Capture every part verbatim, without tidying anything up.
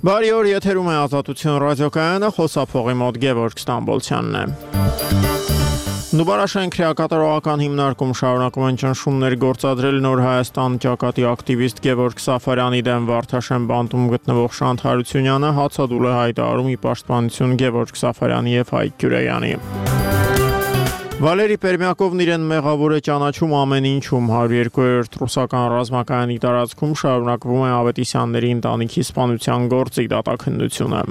Բարի օր, եթերում է Ազատություն ռադիոկայանը, խոսափողի մոտ Գևորգ Ստամբոլցյանն է։ Նուբարաշեն քրեակատարողական հիմնարկում շարունակում են ճնշումներ գործադրել Նոր Հայաստան ճակատի ակտիվիստ Գևորգ Սաֆարյանի դեմ Վարդաշեն բանտում գտնվող Շանթ Հարությունյանը հացադուլ է հայտարարում ի պաշտպանություն Գևորգ Սաֆարյանի եւ Հայկ Գյուրեյանի։ Վալերի Պերմյակովն իրեն մեղավոր է ճանաչում ամեն ինչում հարյուր երկու-րդ ռուսական ռազմակայանի տարածքում շարունակվում է Ավետիսյանների ընտանիքի սպանության գործի դատաքննությունը։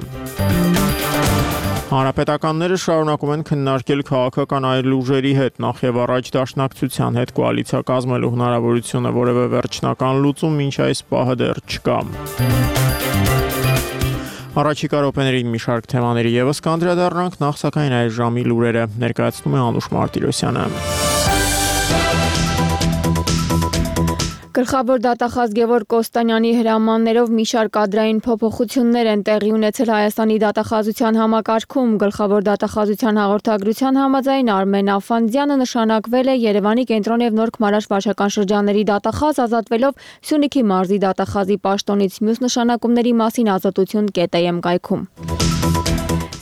Հանրապետականները շարունակում են քննարկել քաղաքական այլ ուժերի հետ, նախ եւ առաջ Դաշնակցության հետ կոալիցիա կազմելու հնարավորությունը, որևէ վերջնական լուծում մինչ այս պահը դեռ չկա։ Առաջիկա րոպեներին մի շարք թեմաների եւս կանդրադառնանք, նախ սակայն այս ժամի լուրերը ներկայացնում է Անուշ Մարտիրոսյանը։ Գլխավոր դատախազ Գևորգ Կոստանյանի հրամաններով մի շարք կադրային փոփոխություններ են տեղի ունեցել Հայաստանի դատախազության համակարգում։ Գլխավոր դատախազության հաղորդագրության համաձայն Արմեն Աֆանդյանը նշանակվել է Երևանի կենտրոն եւ Նոր Քմարաշ վարչական շրջանների դատախազ, ազատվելով Սյունիքի մարզի դատախազի պաշտոնից։ Մյուս նշանակումների մասին Ազատություն կետեմ կայքում։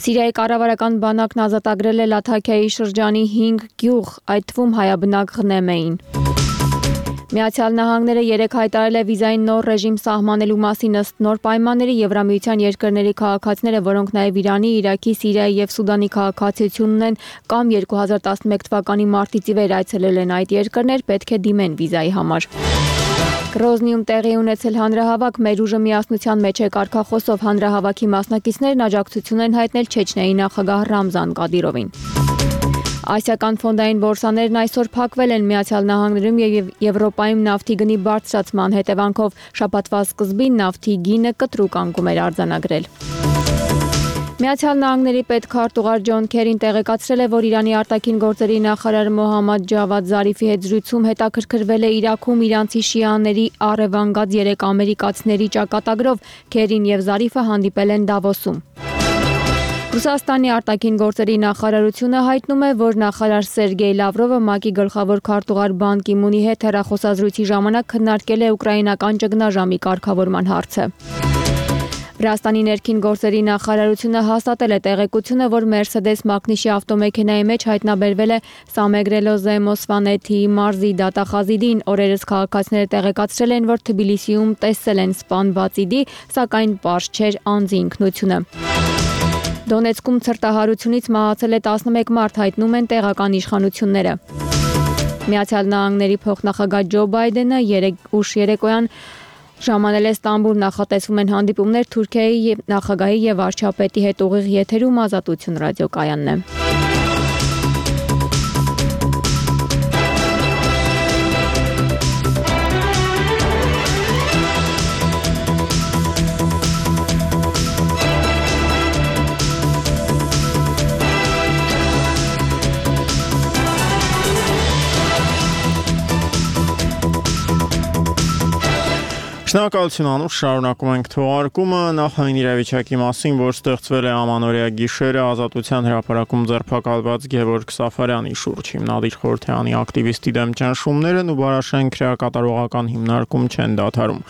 Սիրիայի կառավարական բանակն ազատագրել է Լաթաքիայի շրջանի հինգ գյուղ, այդ թվում հայաբնակ Ղնեմ էին։ Միացյալ Նահանգները երեկ հայտարարել է վիզային նոր ռեժիմ սահմանելու մասին ըստ նոր պայմանների Եվրամիության երկրների քաղաքացիները, որոնք նաև Իրանի, Իրաքի, Սիրիայի եւ Սուդանի քաղաքացիություն ունեն կամ երկու հազար տասնմեկ թվականի մարտից ի վեր այցելել են այդ երկրներ, պետք է դիմեն վիզայի համար։ Գրոզնիում տեղի ունեցել հանրահավաք, մեր ուժը միասնության մեջ է կարգախոսով հանրահավաքի մասնակիցներն աջակցություն են հայտնել Չեչնիայի նախագահ Ռամզան Կադիրովին։ Ասիական ֆոնդային բորսաներն այսօր փակվել են Միացյալ Նահանգներում եւ Եվրոպայում նավթի գնի բարձրացման հետևանքով շաբաթվա սկզբին նավթի գինը կտրուկ անկում էր արձանագրել։ Միացյալ Նահանգների պետքարտուղար Ջոն Քերին տեղեկացրել է, որ Իրանի արտաքին գործերի նախարար Մոհամմադ Ջավադ Զարիֆի հետ զրույցում հետաքրքրվել է Իրաքում իրանցի շիաների առևանգած երեք ամերիկացիների ճակատագրով։ Քերին եւ Զարիֆը հանդիպել են Դավոսում։ Ռուսաստանի արտաքին գործերի նախարարությունը հայտնում է, որ նախարար Սերգեյ Լավրովը ՄԱԿ-ի գլխավոր քարտուղար Բան Կի Մունի հետ հեռախոսազրույցի ժամանակ քննարկել է ուկրաինական ճգնաժամի կարգավորման հարցը։ Վրաստանի ներքին գործերի նախարարությունը հաստատել է տեղեկությունը, որ Mercedes Մակնիշի ավտոմեքենայի մեջ հայտնաբերվել է Սամեգրելոզե Մոսվանեթի մարզի դատախազի դին։ Օրերս քաղաքացիները տեղեկացրել են, որ Թբիլիսիում տեսել են սպանված իդի, սակայն պարզ չէր անձի ինքնությունը։ Դոնեցկում ցրտահարությունից մահացել է տասնմեկ մարդ, հայտնում են տեղական իշխանությունները։ Միացյալ Նահանգների փոխնախագահ Ջո Բայդենը երեկ ուշ երեկոյան ժամանել է Ստամբուլ, նախատեսվում են հանդիպումներ Թուրքիայի նախագահի եւ վարչապետի հետ ուղիղ եթերում Ազատություն ռադիոկայանն է։ Շնորհակալություն Անուշ, շարունակում ենք թողարկումը նախային իրավիճակի մասին, որ ստեղծվել է ամանորյա գիշերը Ազատության հրապարակում ձերբակալված Գևորգ Սաֆարյանի շուրջ։ Հիմնադիր խորհրդարանի ակտիվիստի դեմ ճնշումները Նուբարաշեն քրեակատարողական հիմնարկում չեն դադարում։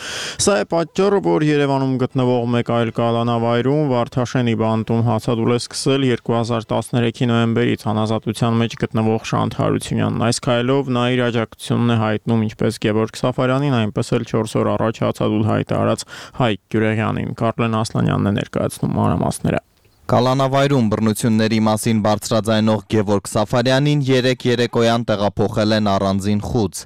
Սա է պատճառը, որ Երևանում գտնվող մեկ այլ կալանավայրում Վարդաշենի բանտում հացադուլ է սկսել երկու հազար տասներեքի նոյեմբերից անազատության մեջ գտնվող Շանթ Հարությունյանն։ Այս քայլով նա իր աջակցությունն է հայտնում ինչպես Գևորգ Սաֆարյանին, այնպես էլ չորս օր առաջ հացադուլ հայտարարած Հայկ Գյուրեյանին։ Կարլեն Ասլանյանն է ներկայացնում մանրամասները։ Կալանավայրում բռնությունների մասին բարձրաձայնող Գևորգ Սաֆարյանին երեկ երեկոյան տեղափոխել են առանձին խուց։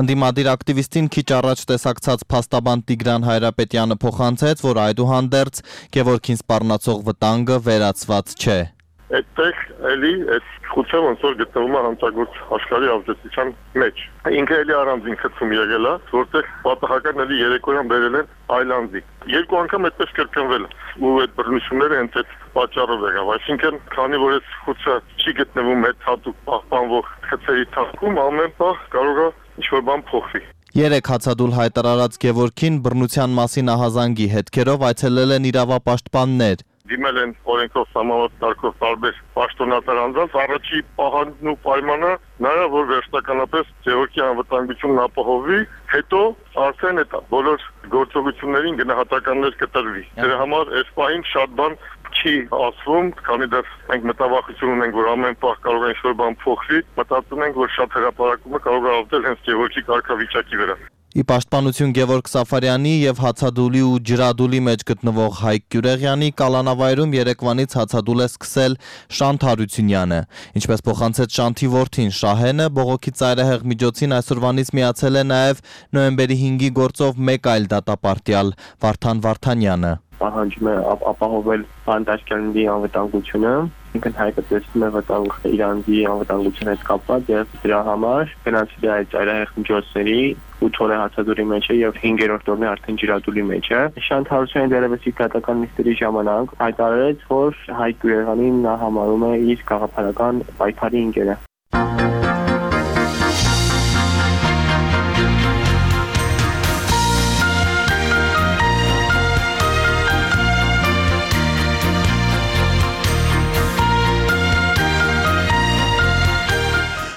Ընդդիմադիր ակտիվիստին քիչ առաջ տեսակցած փաստաբան Տիգրան Հայրապետյանը փոխանցեց, որ այդուհանդերձ Գևորգին սպառնացող վտանգը վերացված չէ։ Այդտեղ էլի այդ խուցը ոնց որ գտնվում է հանցագործ աշխարհի ավետության մեջ։ Ինքը էլի առանձին խցում եղել է, որտեղ պատահական էլի երեկոյան բերել են այլանդի։ Երկու անգամ այդպես կրկնվել ու այդ բռնությունները հենց այդ պատճառով եղավ։ Այսինքն, քանի որ այդ խուցը չի գտնվում այդ հատուկ պահպանվող խցերի թափքում, ամեն պահ կարող է ինչ-որ բան փոխվի։ Երեք հացադուլ հայտարարած Գևորգին բռնության մասին ահազանգի հետքերով այցելել են իրավապաշտպաններ։ դիմել են օրենքով սահմանված կարգով տարբեր պաշտոնատար անձանց, առաջի պահանջն ու պայմանը նա է, որ վերջնականապես Գևորգի անվտանգությունն ապահովի, հետո արդեն այդ բոլոր գործողություններին գնահատականներ կտրվի։ Դրա համար այս պահին շատ բան չի ասվում, քանի դեռ մենք մտավախություն ունենք, որ ամեն պահ կարող է ինչ-որ բան փոխվի, մտածում ենք, որ շատ հրապարակումը կարող է ազդել հենց Գևորգի կարգավիճակի վրա։ Ի պաշտպանություն Գևորգ Սաֆարյանի եւ հացադուլի ու ջրադուլի մեջ գտնվող Հայկ Գյուրեղյանի կալանավայրում երեկվանից հացադուլ է սկսել Շանթ Հարությունյանը։ Ինչպես փոխանցեց Շանթի որդին Շահենը, բողոքի ծայրահեղ միջոցին այսօրվանից միացել է նաեւ նոյեմբերի հինգի գործով մեկ այլ դատապարտյալ Վարդան Վարդանյանը։ Պահանջում է ապահովել բանտաշկյանների անվտանգությունը, ինքն հայկը տեսնում է վտանգ իրանցի անվտանգության հետ կապված եւ դրա համար գնացել է այդ ծայրահեղ միջոցների ութ օր է հացադուլի մեջ է եւ հինգերորդ օրն է արդեն ջրադուլի մեջ է։ Շանթ Հարությունյանը դերևս իր դատական նիստերի ժամանակ հայտարարեց, որ Հայկ Գյուրեղյանին նա համարում է իր գաղափարական պայքարի ընկերը։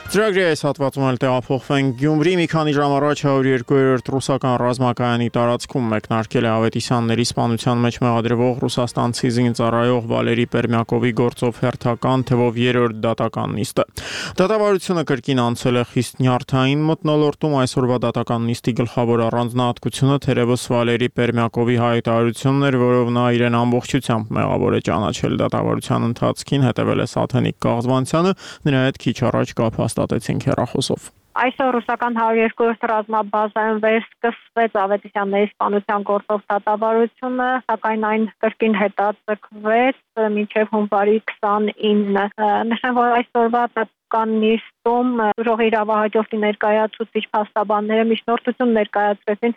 Ծրագրի այս հատվածում էլ տեղափոխվենք Գյումրի։ Մի քանի ժամ առաջ հարյուր երկու ռուսական ռազմակայանի տարածքում մեկնարկել է Ավետիսյանների սպանության մեջ մեղադրվող ռուսաստանցի զինծառայող Վալերի Պերմյակովի գործով հերթական թվով երրորդ դատական նիստը։ Դատավարությունը կրկին անցել է խիստ նյարդային մթնոլորտում։ Այսօրվա դատական նիստի գլխավոր առանձնահատկությունը թերևս Վալերի Պերմյակովի հայտարարությունն էր, որով նա իրեն ամբողջությամբ մեղավոր է ճանաչել։ Դատավարության ընթացքին հետևել է Սաթենիկ Կաղզվանցյանը, նրա հետ քիչ առաջ կապ հաստատեցինք հեռախոսով։ Այսօր ռուսական հարյուր երկու ռազմաբազայում վերսկսվեց Ավետիսյանների սպանության գործով դատավարությունը, սակայն այն կրկին հետաձգվեց մինչև հունվարի քսանինը։ Նշեմ, որ այսօրվա դատական նիստում ուժեղի իրավահաջորդի ներկայացուցիչ փաստաբանները միջնորդություն ներկայացրեցին,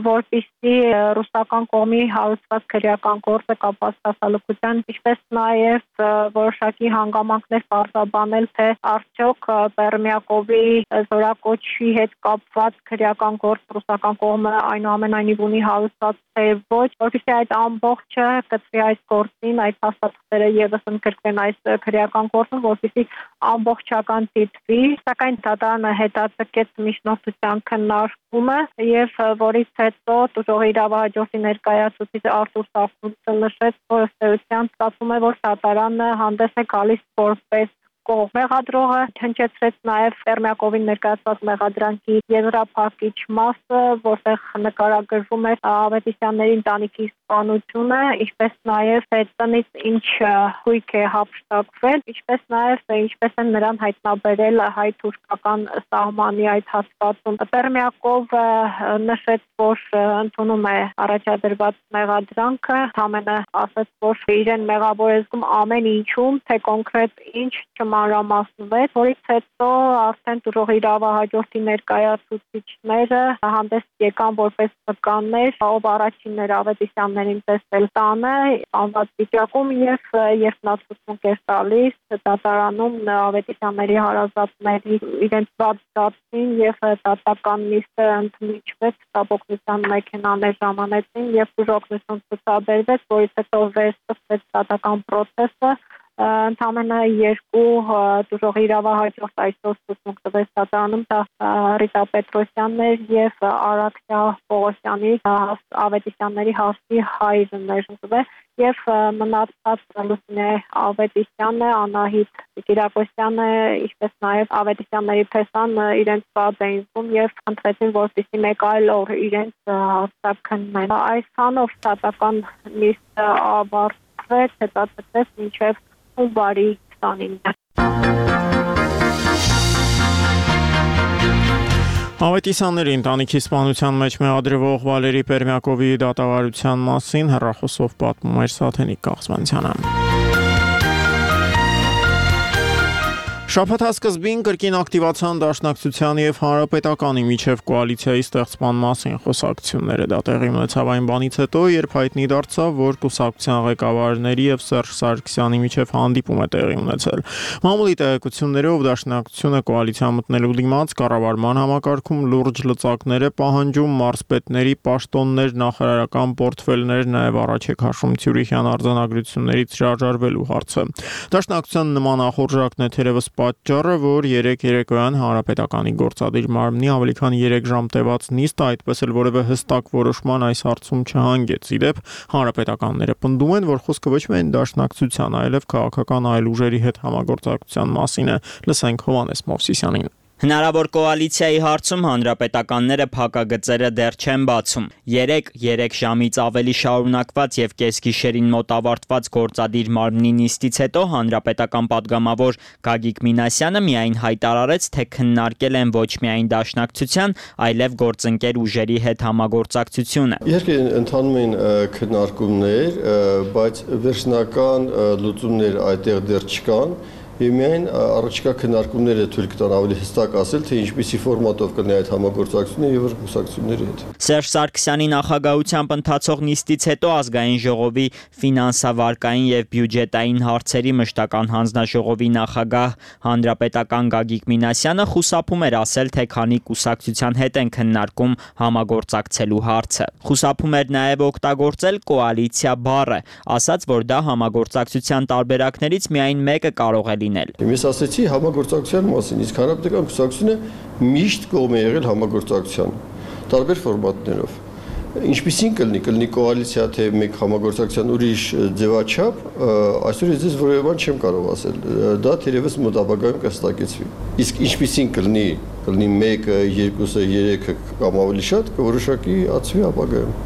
որպեսզի ռուսական կողմի հարուցված քրեական գործը կապված հասարակության, ինչպես նաև որոշակի հանգամանքներ պարզաբանել, թե արդյոք Պերմյակովի զորակոչի հետ կապված քրեական գործ ռուսական կողմը այնուամենայնիվ ունի հարուցված թե ոչ, որպեսզի այդ ամբողջը կծվի այս գործին, այդ փաստաթղթերը եւս ընդգրկվեն այս քրեական գործում, որպեսզի ամբողջական դիտվի, սակայն դատարանը հետաձգեց միջնորդության քննարկումը եւ որից հետո ուժեղի իրավահաջորդի ներկայացուցիչ Արտուր Սախունցը նշեց, որ ըստ էության ստացվում է, որ դատարանը հանդես է գալիս որպես կողմ։ Մեղադրողը հնչեցրեց նաև Պերմյակովին ներկայացված մեղադրանքի եզրափակիչ մասը, որտեղ նկարագրվում է Ավետիսյանների ընտանիքի սպանությունը, ինչպես նաև տնից ինչ հույք է հափշտակվել, ինչպես նաև ինչպես են նրան հայտնաբերել հայ-թուրքական սահմանի այդ հատվածում։ Պերմյակովը նշեց, որ ընդունում է առաջադրված մեղադրանքը, ամենը ասաց, որ իրեն մեղավոր է զգում ամեն ինչում, թե կոնկրետ ինչ մանրամասնվեց, որից հետո արդեն ուժեղի իրավահաջորդի ներկայացուցիչները հանդես եկան որպես վկաններ, ով առաջինն էր Ավետիսյաններին տեսել տանը, անված վիճակում եւ երբ նա ցուցմունք էր տալիս, դատարանում Ավետիսյանների հարազատների իրենց բաց դարձին եւ դատական նիստը ընդմիջվեց, տապոկնության մեքենաներ ժամանեցին եւ ուժօգնություն ցուցաբերվեց, որից հետո վերսկսվեց դատական process-ը։ Ընդամենը երկու ուժեղի իրավահաջորդ այսօր ցուցմունք տվեց դատարանում, դա Ռիտա Պետրոսյանն էր եւ Արաքսիա Պողոսյանի Ավետիսյանների հասցի հայրն էր եւ մնացած Լուսինե Ավետիսյանը, Անահիտ Կիրակոսյանը, ինչպես նաեւ Ավետիսյանների փեսան իրենց բաց էին զգում եւ խնդրեցին, որպեսզի մեկ այլ օր իրենց հաստատքնեն։ Այսքանով դատական նիստը ավարտվեց, հետաձգվեց մինչեւ հունվարի քսանինը։ Ավետիսյանների ընտանիքի սպանության մեջ մեղադրվող Վալերի Պերմյակովի դատավարության մասին հեռախոսով պատմում էր Սաթենիկ Կաղզվանցյանը։ Շաբաթասկզբին կրկին ակտիվացան Դաշնակցության եւ Հանրապետականի միջև կոալիցիայի ստեղծման մասին խոսակցությունները։ Դա տեղի ունեցավ այն բանից հետո, երբ հայտնի դարձավ, որ կուսակցության ղեկավարների եւ Սերժ Սարգսյանի միջև հանդիպում է տեղի ունեցել։ Մամուլի տեղեկություններով Դաշնակցությունը կոալիցիա մտնելու դիմաց կառավարման համակարգում լուրջ լծակներ է պահանջում, մարզպետների պաշտոններ, նախարարական պորտֆելներ, նաեւ առաջեք հաշվում Ցյուրիխյան արձանագրություններից հրաժարվելու հարցը։ Դաշնակցության նման ախորժակն է թերևս պատճառը, որ երեք երեկոյան Հանրապետականի գործադիր մարմնի ավելի քան երեք ժամ տևած նիստը այդպես էլ որևէ հստակ որոշման այս հարցում չհանգեց։ Ի դեպ, հանրապետականները պնդում են, որ խոսքը ոչ միայն Դաշնակցության, այլև քաղաքական այլ ուժերի հետ համագործակցության մասին է։ Լսենք Հովհաննես Մովսիսյանին։ Հնարավոր կոալիցիայի հարցում հանրապետականները փակագծերը դեռ չեն բացում։ երեք երեք ժամից ավելի շարունակված եւ կեսգիշերին մոտ ավարտված գործադիր մարմնի նիստից հետո հանրապետական падգամավոր Գագիկ Մինասյանը միայն հայտարարեց, թե քննարկել են ոչ միայն Դաշնակցության, այլև գործընկեր ուժերի հետ համագործակցությունը։ Իհարկե ընթանում են քննարկումներ, բայց վերջնական լուծումներ այդտեղ դեռ չկան։ Եվ միայն առաջիկա քննարկումները թույլ կտան ավելի հստակ ասել, թե ինչպիսի ֆորմատով կլինի այդ համագործակցությունը եւ կուսակցությունների հետ։ Սերժ Սարգսյանի նախագահությամբ ընթացող նիստից հետո ազգային ժողովի ֆինանսավարկային եւ բյուջետային հարցերի մշտական հանձնաժողովի նախագահ հանրապետական Գագիկ Մինասյանը խուսափում էր ասել, թե քանի կուսակցության հետ են քննարկում համագործակցելու հարցը։ Խուսափում էր նաեւ օգտագործել կոալիցիա բառը, ասաց, որ դա համագործակցության տարբերակներից միայն մեկը կարող է լինել։ Ես ասացի համագործակցության մասին, իսկ հանրապետական կուսակցությունը միշտ կողմ է եղել համագործակցության տարբեր ֆորմատներով։ Ինչպիսին կլինի, կլինի կոալիցիա, թե մեկ համագործակցության ուրիշ ձևաչափ, այսօր ես ձեզ որևէ բան չեմ կարող ասել։ Դա թերևս մոտ ապագայում կհստակեցվի։ Իսկ ինչպիսին կլինի, կլինի մեկը, երկուսը, երեքը կամ ավելի շատ, կորոշակի ածվի ապագայում։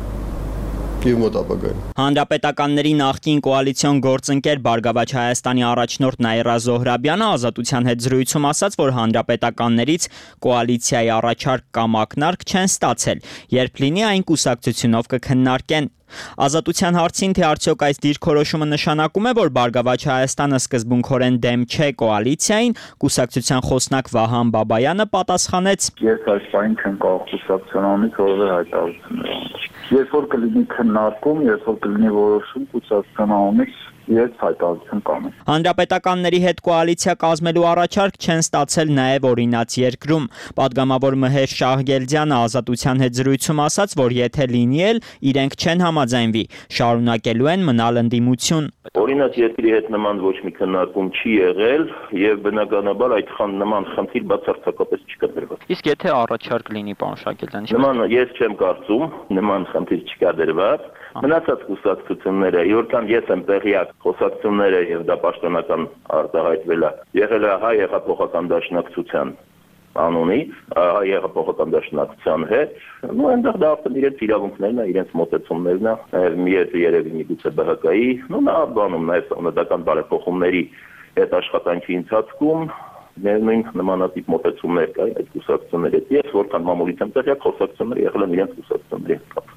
Հանրապետականների նախկին կոալիցիոն գործընկեր Բարգավաճ Հայաստանի առաջնորդ Նաիրա Զոհրաբյանը Ազատության հետ զրույցում ասաց, որ հանրապետականներից կոալիցիայի առաջարկ կամ ակնարկ չեն ստացել, երբ լինի այն կուսակցությունով կքննարկեն։ Ազատության հարցին, թե արդյոք այս դիրքորոշումը նշանակում է, որ Բարգավաճ Հայաստանը սկզբունքորեն դեմ չէ կոալիցիային, կուսակցության խոսնակ Վահան Բաբայանը պատասխանեց. Ես այս բանին չեմ կարող կուսակցության անունից որևէ հայտարարություն անել։ Երբ որ կլինի քննարկում, երբ որ կլինի որոշում կուսակցության անունից ես հայտարարություն կանեմ։ Հանրապետականների հետ կոալիցիա կազմելու առաջարկ չեն ստացել նաև օրինաց երկրում։ Պատգամավոր Մհեր Շահգելդյանը Ազատության հետ զրույցում ասաց, որ եթե լինի էլ իրենք չեն համաձայնվի, շարունակելու են մնալ ընդդիմություն։ Օրինաց երկրի հետ նման ոչ մի քննարկում չի եղել եւ բնականաբար այդ խան նման խնդիր բացարձակապես չկա դրված։ Իսկ եթե առաջարկ լինի, պարոն Շահգելդյան, նման ես չեմ կարծում, նման խնդիր չկա դրված։ Մնացած կուսակցությունները, իորքան ես եմ տեղյակ, խոսակցությունները եւ դա պաշտոնական արտահայտվել է, եղել է հայ հեղափոխական դաշնակցության անունից, հայ հեղափոխական դաշնակցության հետ, ու այնտեղ դա արդեն իրենց իրավունքներն է, իրենց մոտեցումներն է, նաեւ միետ երևի միգուցե Բ Հ Կ-ի, ու նա բանում նաեւ սահմանադրական բարեփոխումների հետ աշխատանքի ընթացքում նույն նմանատիպ մոտեցումներ կա այդ կուսակցությունների հետ։ Ես որքան մամուլից եմ տեղյակ, խոսակցությունները եղել են իրենց կուսակցությունների հետ կապ։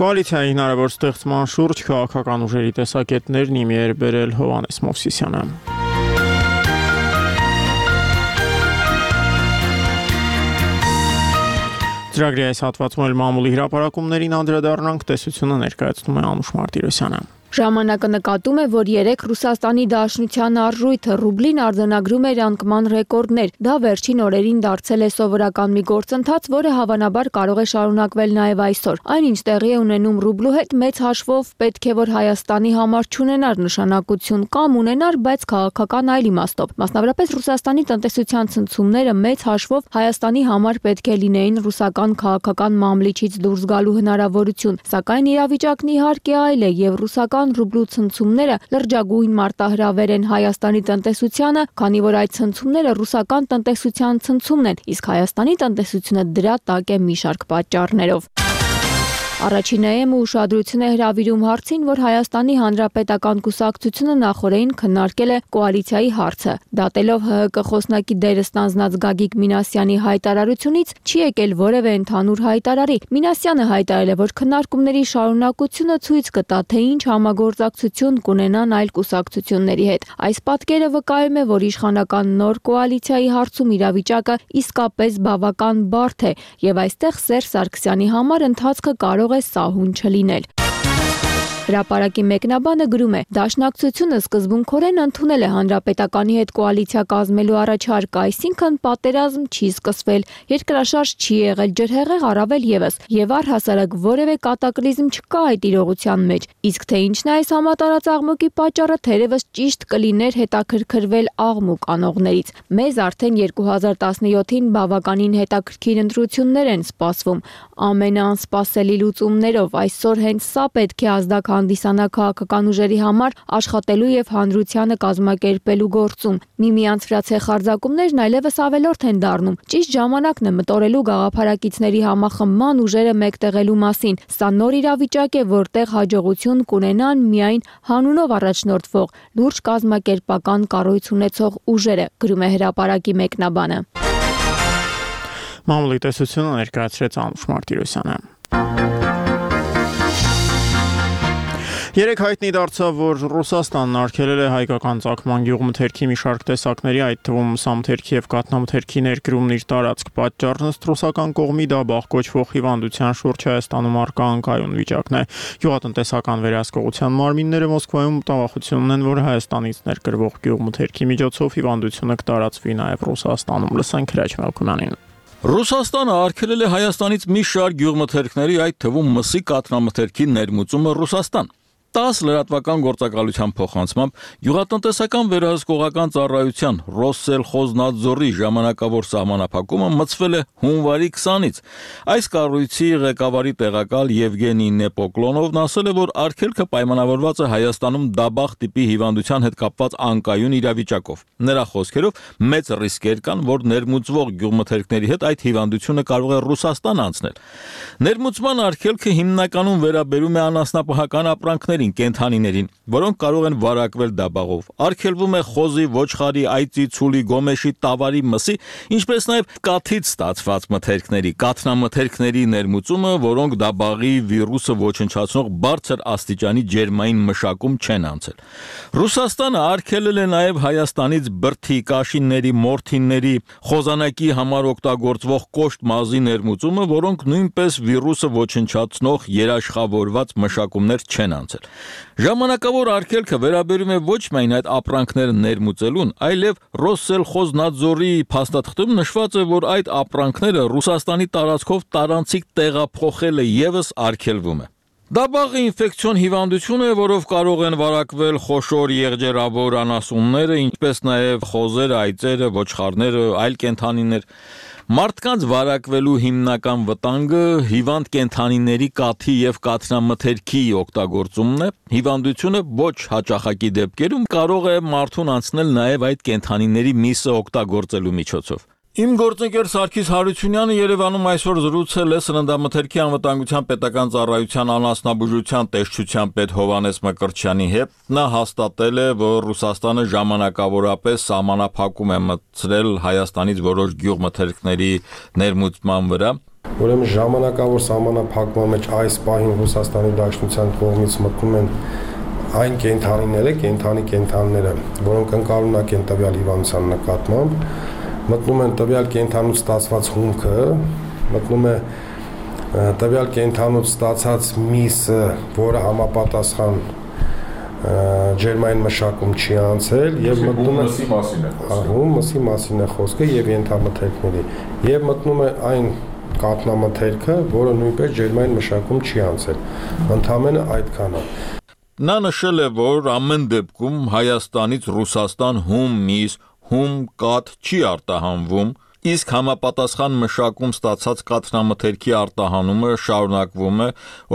Կոալիցիայի հնարավոր ստեղծման շուրջ քաղաքական ուժերի տեսակետներն իմի էր բերել Հովհաննես Մովսիսյանը։ Ծրագրի այս հատվածում էլ մամուլի հրապարակումներին անդրադառնանք, տեսությունը ներկայացնում է Անուշ Մարտիրոսյանը։ Ժամանակը նկատում է, որ երեք Ռուսաստանի Դաշնության արժույթը ռուբլին արձանագրում էր անկման ռեկորդներ։ Դա վերջին օրերին դարձել է սովորական մի գործընթաց, որը հավանաբար կարող է շարունակվել նաև այսօր։ Այնինչ տեղի է ունենում ռուբլու հետ մեծ հաշվով պետք է որ Հայաստանի համար չունենար նշանակություն կամ ունենար, բայց քաղաքական այլ իմաստով։ Մասնավորապես Ռուսաստանի տնտեսության ցնցումները մեծ հաշվով Հայաստանի համար պետք է լինեին ռուսական քաղաքական մամլիչից դուրս գալու հնարավորություն, սակայն իրավիճակն իհարկե այլ է եւ ռուսական ռուբլու ցնցումները լրջագույն մարտահրավեր են Հայաստանի տնտեսությանը, քանի որ այդ ցնցումները ռուսական տնտեսության ցնցումն են, իսկ Հայաստանի տնտեսությունը դրա տակ է մի շարք պատճառներով։ Առաջինայինը ուշադրություն է հրավիրում հարցին, որ Հայաստանի Հանրապետական կուսակցությունը նախորդին քննարկել է կոալիցիայի հարցը։ Դատելով ՀՀԿ խոսնակի դերը ստանձնած Գագիկ Մինասյանի հայտարարությունից չի եկել որևէ ընդհանուր հայտարարի։ Մինասյանը հայտարարել է, որ քննարկումների շարունակությունը ցույց կտա, թե ինչ համագործակցություն կունենան այլ կուսակցությունների հետ։ Այս պատկերը վկայում է, որ իշխանական նոր կոալիցիայի հարցում իրավիճակը իսկապես բավական բարդ է, եւ այստեղ Սերժ Սարգսյանի համար ընթացքը կարող է սահուն չլինել։ Հրապարակի մեկնաբանը գրում է. Դաշնակցությունը սկզբունքորեն ընդունել է Հանրապետականի հետ կոալիցիա կազմելու առաջարկը, այսինքն պատերազմ չի սկսվել, երկրաշարժ չի եղել, ջրհեղեղ առավել եւս, եւ առհասարակ որևէ կատակլիզմ չկա այդ իրողության մեջ։ Իսկ թե ինչն է այս համատարած աղմուկի պատճառը, թերևս ճիշտ կլիներ հետաքրքրվել աղմուկ անողներից։ Մեզ արդեն երկու հազար տասնյոթին բավականին հետաքրքիր ընտրություններ են սպասվում։ Ամենաանսպասելի լուծումներով այսօր հենց սա պետք է ազդակ հանդիսանա քաղաքական ուժերի համար աշխատելու եւ հանրությանը կազմակերպելու գործում։ Միմյանց վրա ցեխարձակումներն այլևս ավելորդ են դառնում։ Ճիշտ ժամանակն է մտորելու գաղափարակիցների համախմբման ուժերը մեկտեղելու մասին։ Սա նոր իրավիճակ է, որտեղ հաջողություն կունենան միայն հանունով առաջնորդվող լուրջ կազմակերպական կառույց ունեցող ուժերը, գրում է հրապարակի մեկնաբանը։ Մամուլի տեսությունը ներկայացրեց Անուշ Մարտիրոսյանը։ Երեք հայտնի դարձավ, որ Ռուսաստանն արգելել է հայկական ծագման գյուղմթերքի մի շարք տեսակների, այդ թվում մսամթերքի եւ կաթնամթերքի ներկրումն իր տարածք պատճառն ըստ ռուսական կողմի դա բախ կոչվող հիվանդության շուրջ Հայաստանում առկա անկայուն վիճակն է։ Գյուղատնտեսական վերահսկողության մարմինները Մոսկվայում մտավախություն ունեն, որ Հայաստանից ներկրվող գյուղմթերքի միջոցով հիվանդությունը կտարածվի նաեւ Ռուսաստանում։ Լսենք Հրաչ Մելքումյանին։ Ռուսաստանը արգելել է Հայաստանից մի շարք գյուղմթերքների, այդ թվում մսի կաթնամթերքի ներմուծումը Ռուսաստան։ տասը լրատվական գործակալության փոխանցմամբ գյուղատնտեսական վերահսկողական ծառայության Ռոսսելխոզնադզորի ժամանակավոր սահմանափակումը մտցվել է հունվարի քսանից։ Այս կառույցի ղեկավարի տեղակալ Եվգենի Նեպոկլոնովն ասել է, որ արգելքը պայմանավորված է Հայաստանում դաբախ տիպի հիվանդության հետ կապված անկայուն իրավիճակով։ Նրա խոսքերով մեծ ռիսկեր կան, որ ներմուծվող գյուղմթերքների հետ այդ հիվանդությունը կարող է Ռուսաստան անցնել։ Ներմուծման արգելքը հիմնականում վերաբերում է անասնապահական ապրանքների կենթանիներին, որոնք կարող են վարակվել դաբաղով։ Արգելվում է խոզի, ոչխարի, այծի, ցուլի, գոմեշի, տավարի, մսի, ինչպես նաև կաթից ստացված մթերքների, կաթնամթերքների ներմուծումը, որոնք դաբաղի վիրուսը ոչնչացնող բարձր աստիճանի ջերմային մշակում չեն անցել։ Ռուսաստանը արգելել է նաև Հայաստանից բրդի, կաշինների, մորթինների, խոզանակի համար օգտագործվող կոշտ մազի ներմուծումը, որոնք նույնպես վիրուսը ոչնչացնող երաշխավորված մշակումներ չեն անցել։ Ժամանակավոր արգելքը վերաբերում է ոչ միայն այդ ապրանքները ներմուծելուն, այլև Ռոսսելխոզնադզորի փաստաթղթում նշված է, որ այդ ապրանքները Ռուսաստանի տարածքով տարանցիկ տեղափոխելը եւս արգելվում է։ Դաբաղը ինֆեկցիոն հիվանդություն է, որով կարող են վարակվել խոշոր եղջերավոր անասունները, ինչպես նաև խոզերը, այծերը, ոչխարները, այլ կենդանիներ։ Մարդկանց վարակվելու հիմնական վտանգը հիվանդ կենդանիների կաթի եւ կաթնամթերքի օգտագործումն է։ Հիվանդությունը ոչ հաճախակի դեպքերում կարող է մարդուն անցնել նաև այդ կենդանիների միսը օգտագործելու միջոցով։ Իմ գործընկեր Սարգիս Հարությունյանը Երևանում այսօր զրուցել է սննդամթերքի անվտանգության պետական ծառայության անասնաբուժության տեսչության պետ Հովհաննես Մկրտչյանի հետ։ Նա հաստատել է, որ Ռուսաստանը ժամանակավորապես սահմանափակում է մտցրել Հայաստանից որոշ գյուղմթերքների ներմուծման վրա։ Ուրեմն ժամանակավոր սահմանափակման մեջ այս պահին Ռուսաստանի Դաշնության կողմից մտնում են այն կենդանիները, կենդանի կենդանիները, որոնք ընկալունակ են տվյալ հիվանդության նկատմամբ, մտնում են տվյալ կենդանուց ստացված հումքը, մտնում է տվյալ կենդանուց ստացած միսը, որը համապատասխան ջերմային մշակում չի անցել, եւ մտնում է մսի մասին է խոսքը, հում մսի մասին է խոսքը եւ ենթամթերքների, եւ մտնում է այն կաթնամթերքը, որը նույնպես ջերմային մշակում չի անցել։ Ընդամենը այդքանը։ Նա նշել է, որ ամեն դեպքում Հայաստանից Ռուսաստան հում միս հում կաթ չի արտահանվում, իսկ համապատասխան մշակում ստացած կաթնամթերքի արտահանումը շարունակվում է,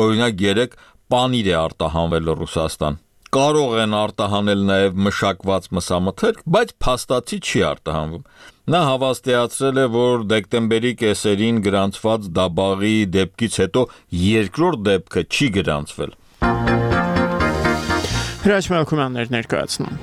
օրինակ երեք պանիր է արտահանվել Ռուսաստան։ կարող են արտահանել նաև մշակված մսամթերք, բայց փաստացի չի արտահանվում։ Նա հավաստիացրել է, որ դեկտեմբերի կեսերին գրանցված Դաբաղի դեպքից հետո երկրորդ դեպքը չի գրանցվել։ Հրաչ Մելքումյաններ ներկայացնում։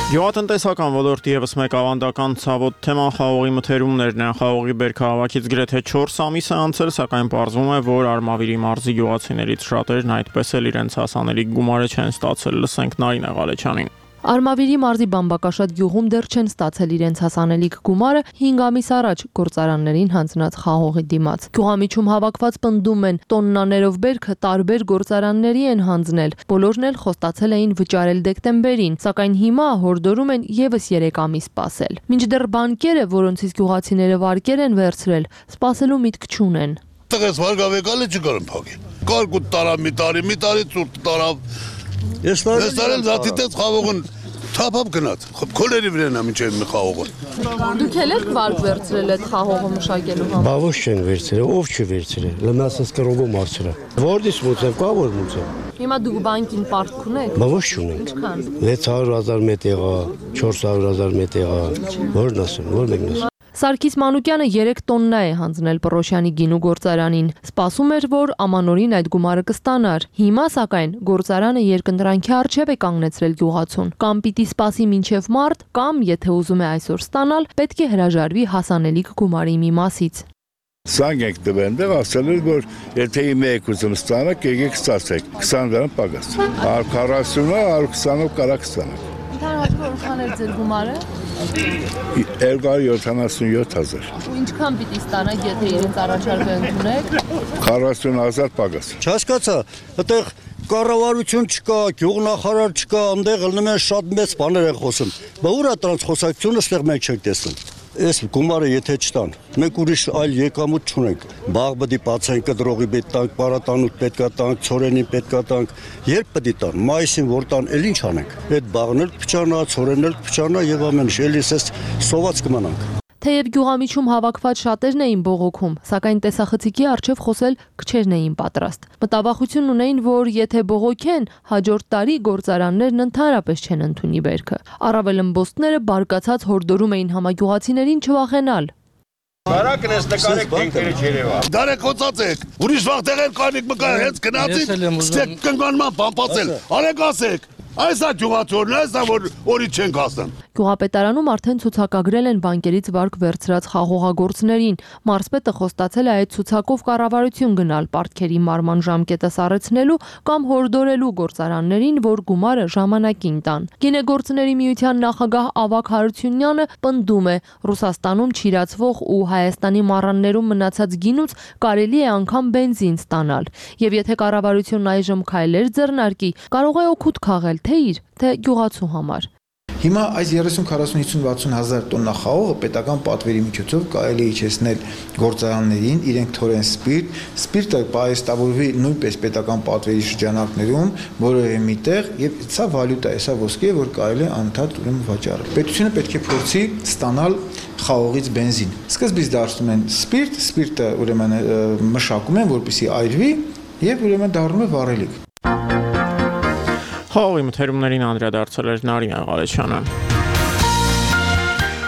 Գյուղատնտեսական ոլորտի ևս մեկ ավանդական ցավոտ թեման խաղողի մթերումներն են։ Խաղողի բերքահավաքից գրեթե չորս ամիս է անցել, սակայն պարզվում է, որ Արմավիրի մարզի գյուղացիներից շատերն այդպես էլ իրենց հասանելի գումարը չեն ստացել։ Լսենք Նարինե Ղալեչյանին։ Արմավիրի մարզի Բամբակաշատ գյուղում դեռ չեն ստացել իրենց հասանելիք գումարը հինգ ամիս առաջ գործարաններին հանձնած խաղողի դիմաց։ Գյուղամիջում հավաքված պնդում են, տոննաներով բերքը տարբեր գործարանների են հանձնել։ Բոլորն էլ խոստացել էին վճարել դեկտեմբերին, սակայն հիմա հորդորում են եւս երեք ամիս սպասել։ Մինչդեռ բանկերը, որոնցից գյուղացիները վարկեր են վերցրել, սպասելու միտք չունեն։ Տղես վարգավեկալը չկարեմ փակել։ Կարկուտ տարավ մի տարի, մի տարի ծուրտ տարավ։ Ես տարել զատիտեց խաղողն թափապ գնաց, քոլերի վրան ամիջ են մի խաղողը։ Դուք էլ եք վարկ վերցրել այդ խաղողը մշակելու համար։ Բա ոչ չեն վերցրել, ով չի վերցրել։ Լմասս կրոգո մարցրա։ Որտիս մուծեմ, կա որ մուծեմ։ Հիմա դուք բանկին պարտք ունեք։ Բա ոչ չունենք։ վեց հարյուր հազար մետեղա, չորս հարյուր հազար մետեղա։ Որն ասեմ, որ մեկն ասեմ։ Սարգիս Մանուկյանը երեք տոննա է հանձնել Պռոշյանի գինու գործարանին։ Սպասում էր, որ ամանորին այդ գումարը կստանար։ Հիմա սակայն գործարանը երկընտրանքի առջև է կանգնեցրել գյուղացուն։ Կամ պիտի սպասի մինչև մարտ, կամ եթե ուզում է այսօր ստանալ, պետք է հրաժարվի հասանելիք գումարի մի մասից։ Սանգ եք դվենդեղ ասել էր, որ եթե իմ եք ուզում ստանաք, եկեք ստացեք, քսան դրամ պագաս։ հարյուր քառասունը, հարյուր քսանով կարակ ստանաք։ Ընդհանրապես որքան էր ձեր գումարը։ երկու հարյուր յոթանասունյոթ հազար։ Ու ինչքան պիտի ստանաք, եթե իրենց առաջարկը ընդունեք։ քառասուն հազար պագաս։ Չհասկացա, այդտեղ կառավարություն չկա, գյուղնախարար չկա, այնտեղ ելնում են շատ մեծ բաներ են խոսում։ Բա ուր է դրանց խոսակցությունը, այստեղ մենք չենք տեսնում։ Այս գումարը եթե չտան, մենք ուրիշ այլ եկամուտ չունենք։ Բաղ պետք է բացենք, կդրողի պետք տանք, պարատանուտ պետք է տանք, ցորենին պետք է տանք։ Երբ պետք է տան, մայիսին որ տան, էլ ինչ անենք։ Այդ բաղն էլ փչանա, ցորենն էլ փչանա եւ ամեն ինչ, էլի էս սոված կմնանք։ Թեև գյուղամիջում հավաքված շատերն էին բողոքում, սակայն տեսախցիկի առջև խոսել քչերն էին պատրաստ։ Մտավախություն ունեին, որ եթե բողոքեն, հաջորդ տարի գործարաններն ընդհանրապես չեն ընդունի բերքը։ Առավել ըմբոստները բարկացած հորդորում էին համագյուղացիներին չվախենալ։ Բարակն ես նկարեք դենքերը Երևա։ Դարեք հոցացեք։ Ուրիշ վաղ տեղեր կանիք մկա հենց գնացիք, ստեք կնգանման բամպացել։ Արեք ասեք։ Այս է գյուղացորն, այս է որ օրի չենք հասնում։ Գյուղապետարանում արդեն ցուցակագրել են բանկերից վարկ վերցրած խաղողագործներին։ Մարզպետը խոստացել է այդ ցուցակով կառավարություն գնալ պարտքերի մարման ժամկետը սառեցնելու կամ հորդորելու գործարաններին, որ գումարը ժամանակին տան։ Գինեգործների միության նախագահ Ավագ Հարությունյանը պնդում է, Ռուսաստանում չիրացվող ու Հայաստանի մառաններում մնացած գինուց կարելի է անգամ բենզին ստանալ։ Եվ եթե կառավարությունն այժմ քայլեր ձեռնարկի, կարող է օգուտ քաղել թե իր, թե գյուղացու համար։ Հիմա այս երեսուն քառասուն հիսուն վաթսուն հազար տոննա խաղողը պետական պատվերի միջոցով կարելի է իջեցնել գործարաններին, իրենք թորեն սպիրտ, սպիրտը պահեստավորվի նույնպես պետական պատվերի շրջանակներում, որևէ միտեղ, եւ սա վալյուտա է, սա ոսկի է, որ կարելի է անդադ ուրեմն վաճառել։ Պետությունը պետք է փորձի ստանալ խաղողից բենզին։ Սկզբից դարձնում են սպիրտ, սպիրտը ուրեմն մշակում են, որպեսզի այրվի եւ ուրեմն դառնում է վառելիք։ Խաղողի մթերումներին անդրադարձել էր Նարինե Ղալեչյանը։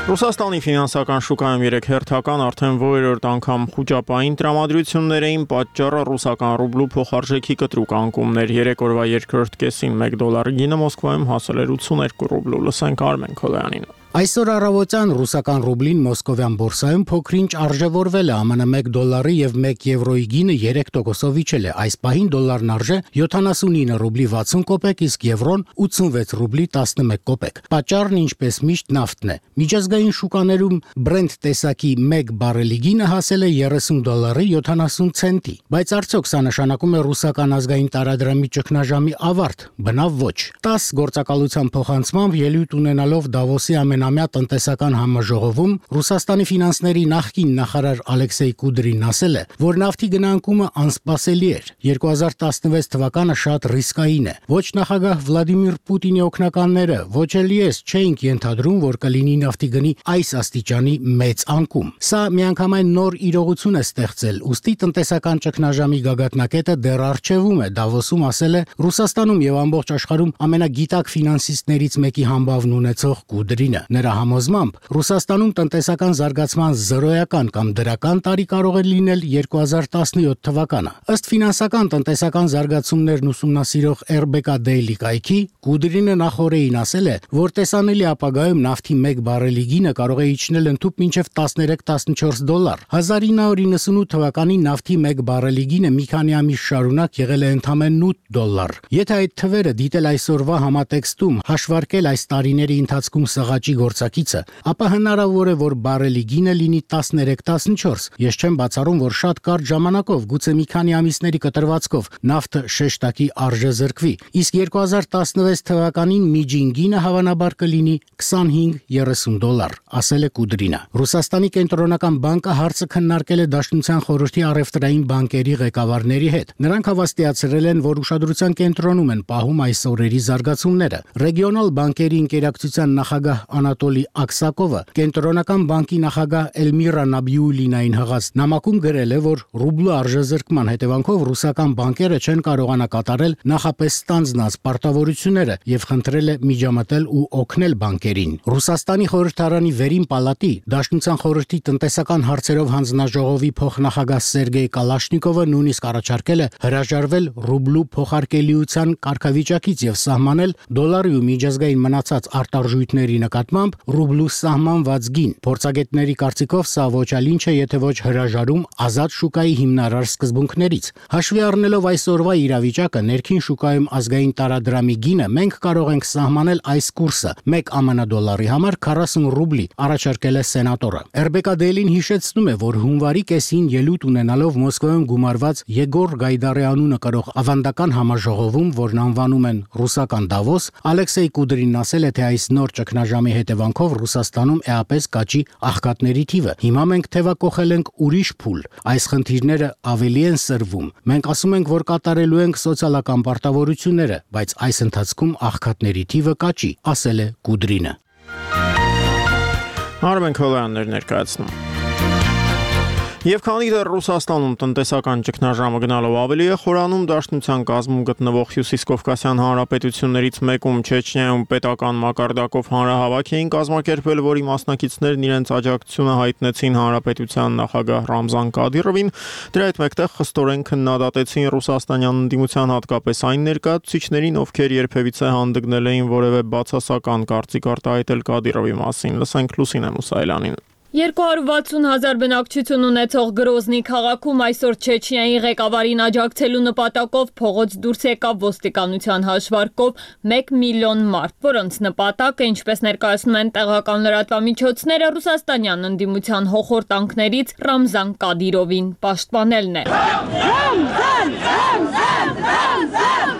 Ռուսաստանի ֆինանսական շուկայում երեք հերթական արդեն որերորդ անգամ խոճապային տրամադրություններ էին, պատճառը ռուսական ռուբլու փոխարժեքի կտրուկ անկումներ։ Երեք օրվա երկրորդ կեսին մեկ դոլարի գինը Մոսկվայում հասել էր ութսուներկու ռուբլու։ Լսենք Արմեն Քոլյանին։ Այսօր առավոտյան ռուսական ռուբլին մոսկովյան բորսայում փոքրինչ արժևորվել է, ԱՄՆ մեկ դոլարի եւ մեկ եվրոյի գինը երեք տոկոսով իջել է։ Այս պահին դոլարն արժե յոթանասունինը ռուբլի վաթսուն կոպեկ, իսկ եվրոն ութսունվեց ռուբլի տասնմեկ կոպեկ։ Պատճառն ինչպես միշտ նավթն է։ Միջազգային շուկաներում Brent տեսակի մեկ բարելի գինը հասել է երեսուն դոլարի յոթանասուն ցենտի։ Բայց արդյոք սա նշանակում է ռուսական ազգային տարադրամի ճգնաժամի ավարտ։ Բնավ ոչ։ տասը գործակալության փոխանցմամբ ելույթ ունենալով Դավոսի ամենա նոյեմբերամյա տնտեսական համաժողովում Ռուսաստանի ֆինանսների նախկին նախարար Ալեքսեյ Կուդրին ասել է, որ նավթի գնանկումը անսպասելի էր։ երկու հազար տասնվեց թվականը շատ ռիսկային է։ Ոչ նախագահ Վլադիմիր Պուտինի օգնականները, ոչ էլ ես չէինք ենթադրում, որ կլինի նավթի գնի այս աստիճանի մեծ անկում։ Սա միանգամայն նոր իրողություն է ստեղծել, ուստի տնտեսական ճգնաժամի գագաթնակետը դեռ առջևում է, Դավոսում ասել է Ռուսաստանում եւ ամբողջ աշխարհում ամենագիտակ ֆինանսիստներից մեկի համբավն ունեցող Կուդրինը։ Նրա համոզմամբ Ռուսաստանում տնտեսական զարգացման զրոյական կամ դրական տարի կարող է լինել երկու հազար տասնյոթ թվականը։ Ըստ ֆինանսական տնտեսական զարգացումներն ուսումնասիրող R B K Daily կայքի Կուդրինը նախորդին ասել է, որ տեսանելի ապագայում նավթի մեկ բարելի գինը կարող է իջնել ընդհուպ մինչև տասներեք տասնչորս դոլար։ հազար ինը հարյուր իննսունութ թվականին նավթի մեկ բարելի գինը մի քանի ամիս շարունակ եղել է ընդամենը ութ դոլար։ Եթե այդ թվերը դիտել այսօրվա համատեքստում, հաշվարկել այս տարիների ընթացքում սղաճի գործակիցը, ապա հնարավոր է, որ բարելի գինը լինի տասներեք տասնչորս։ Ես չեմ բացառում, որ շատ կարճ ժամանակով, գուցե մի քանի ամիսների կտրվածքով նավթը շեշտակի արժե զրկվի, իսկ երկու հազար տասնվեց թվականին միջին գինը հավանաբար կլինի քսանհինգ երեսուն դոլար, ասել է Կուդրինը։ Ռուսաստանի կենտրոնական բանկը հարցը քննարկել է Դաշնության խորհրդի առևտրային բանկերի ղեկավարների հետ։ Նրանք հավաստիացրել են, որ ուշադրության կենտրոնում են պահում այս օրերի զարգացումները։ Ռեգիոնալ բանկերի ընկերակցության նախագահ Անատոլի Աքսակովը կենտրոնական բանկի նախագահ Էլմիրա Նաբիուլինային հղած նամակում գրել է, որ ռուբլու արժեզրկման հետևանքով ռուսական բանկերը չեն կարողանա կատարել նախապես ստանձնած պարտավորությունները եւ խնդրել է միջամտել ու օգնել բանկերին։ Ռուսաստանի խորհրդարանի վերին պալատի Դաշնության խորհրդի տնտեսական հարցերով հանձնաժողովի փոխնախագահ Սերգեյ Կալաշնիկովը նույնիսկ առաջարկել է հրաժարվել ռուբլու փոխարկելիության կարգավիճակից եւ սահմանել դոլարի ու միջազգային մնացած արտարժույթների նկատմամբ ռուբլու սահմանված գին։ Փորձագետների կարծիքով սա ոչ այլ ինչ է, եթե ոչ հրաժարում ազատ շուկայի հիմնարար սկզբունքներից։ Հաշվի առնելով այսօրվա իրավիճակը, ներքին շուկայում ազգային տարադրամի գինը մենք կարող ենք սահմանել այս կուրսը մեկ Ամն դոլարի համար քառասուն ռուբլի, առաջարկել է սենատորը։ R B K Daily-ն հիշեցնում է, որ հունվարի կեսին ելույթ ունենալով Մոսկվայում գումարված Եգոր Գայդարի անունը կրող ավանդական համաժողովում, որն անվանում են ռուսական Դավոս, Ալեքսեյ Կուդրինն ասել է, թե այս նոր ճգնաժամի հետևանքով Ռուսաստանում էապես կաճի աղքատների թիվը։ Հիմա մենք թևակողել ենք ուրիշ փուլ։ Այս խնդիրները ավելի են սրվում։ Մենք ասում ենք, որ կատարելու ենք սոցիալական պարտավորությունները, բայց այս ընթացքում աղքատների թիվը կաճի, ասել է Կուդրինը։ Արմեն Քոլյաններ ներկայացնում։ Եվ քանի դեռ Ռուսաստանում տնտեսական ճգնաժամը գնալով ավելի է խորանում, Դաշնության կազմում գտնվող Հյուսիսկովկասյան հանրապետություններից մեկում Չեչնիայում պետական մակարդակով հանրահավաք էին կազմակերպել, որի մասնակիցներն իրենց աջակցությունը հայտնեցին հանրապետության նախագահ Ռամզան Կադիրովին, դրա հետ մեկտեղ խստորեն քննադատեցին ռուսաստանյան ընդդիմության հատկապես այն ներկայացուցիչներին, ովքեր երբևիցե հանդգնել էին որևէ բացասական կարծիք արտահայտել Կադիրովի մասին։ Լսենք Լուսինե Մուսայելյանին։ երկու հարյուր վաթսուն հազար բնակչություն ունեցող Գրոզնի քաղաքում այսօր Չեչնիայի ղեկավարին աջակցելու նպատակով փողոց դուրս եկավ ոստիկանության հաշվարկով մեկ միլիոն մարդ, որոնց նպատակը, ինչպես ներկայացնում են տեղական լրատվամիջոցները, ռուսաստանյան ընդդիմության հոխորտանքներից Ռամզան Կադիրովին պաշտպանելն է։ Ռամզան, Ռամզան, Ռամզան,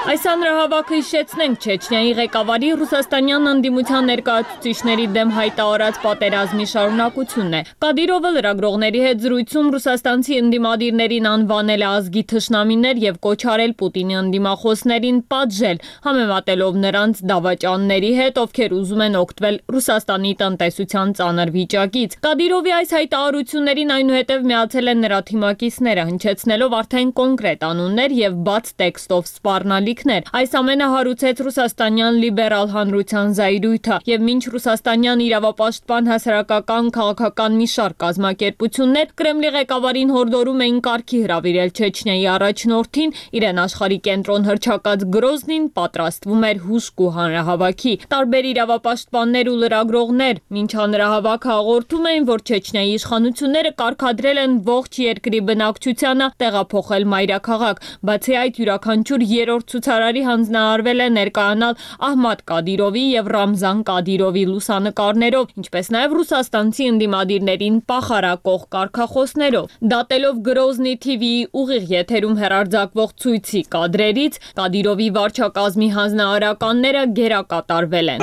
Այս հանրահավաքը հիշեցնենք Չեչնիայի ղեկավարի ռուսաստանյան ընդդիմության ներկայացուցիչների դեմ հայտարարած պատերազմի շարունակությունն է։ Կադիրովը լրագրողների հետ զրույցում ռուսաստանցի ընդդիմադիրներին անվանել է ազգի թշնամիներ եւ կոչ արել Պուտինի ընդդիմախոսներին պատժել, համեմատելով նրանց դավաճանների հետ, ովքեր ուզում են օգտվել Ռուսաստանի տնտեսության ծանր վիճակից։ Կադիրովի այս հայտարարություններին այնուհետև միացել են նրա թիմակիցները, հնչեցնելով արդեն կոնկրետ անուններ եւ բաց տեքստով սպառնալիք։ Այս ամենը հարուցեց ռուսաստանյան լիբերալ հանրության զայրույթը եւ մինչ ռուսաստանյան իրավապաշտպան հասարակական քաղաքական մի շարք կազմակերպություններ Կրեմլի ղեկավարին հորդորում էին կարգի հրավիրել Չեչնիայի առաջնորդին, իրեն աշխարհի կենտրոն հռչակած Գրոզնին պատրաստվում էր հուսք ու հանրահավաքի։ Տարբեր իրավապաշտպաններ ու լրագրողներ մինչ հանրահավաքը հաղորդում էին, որ Չեչնիայի իշխանությունները կարգադրել են ողջ երկրի բնակչությանը տեղափոխել մայրաքաղաք, բացի այդ յուրաքանչյուր երրորդ Հայտարարի հանձնարարվել է ներկայանալ Ահմադ Կադիրովի եւ Ռամզան Կադիրովի լուսանկարներով, ինչպես նաեւ ռուսաստանցի ընդդիմադիրներին պախարակող կարգախոսներով։ Դատելով Գրոզնի թի վիի ուղիղ եթերում հեռարձակվող ցույցի կադրերից, Կադիրովի վարչակազմի հանձնարարականները գերակատարվել են։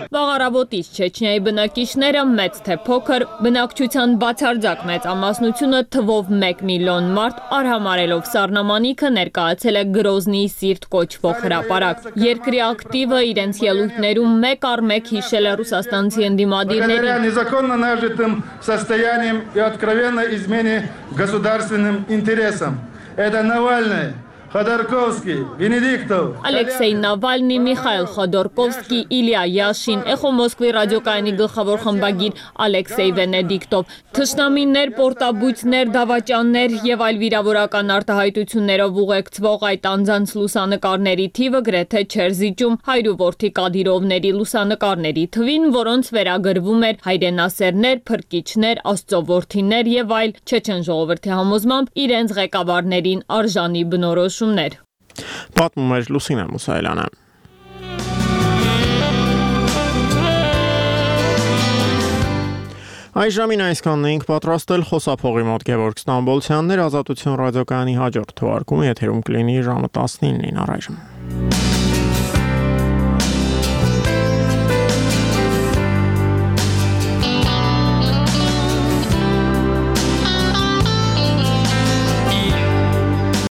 Վաղարավոտից Չեչնիայի բնակիչները մեծ թե փոքր, բնակչության բացարձակ մեծամասնությունը թվով մեկ միլիոն մարդ արհամարելով սառնամանիքը ներկայացել է Գրոզնիի սիրտ կոչվող հրապարակ։ Երկրի ակտիվը իրենց ելույթներում մեկ առ մեկ հիշել է ռուսաստանցի ընդդիմադիրներին։ Незаконно нажитым состоянием и откровенно измене государственным интересам. Это Навальный, Ходорковский, Վենեդիկտով, Ալեքսեյ Նավալնի, Միխայել Խոդորկովսկի, Իլիա Յաշին, Էխո Մոսկվի ռադիոկայանի գլխավոր խմբագիր Ալեքսեյ Վենեդիկտով, թշնամիներ, պորտաբույծներ, դավաճաններ եւ այլ վիրավորական արտահայտություններով ուղեկցվող այդ անձանց լուսանկարների թիվը գրեթե չէր զիջում հայրուորդի Կադիրովների լուսանկարների թվին, որոնց վերագրվում էր հայրենասերներ, փրկիչներ, աստծոորդիներ եւ այլ չեչեն ժողովրդի համոզմամբ իրենց ղեկավարներին արժանի բնորոշ Պատմում էր Լուսինե Մուսայելյանը։ Այս ժամին այսքանն էինք պատրաստել խոսափողի մոտ Գևորգ Ստամբոլցյաններ, Ազատություն ռադիոկայանի հաջորդ թողարկումը եթերում կլինի ժամը տասնինին առայժմ։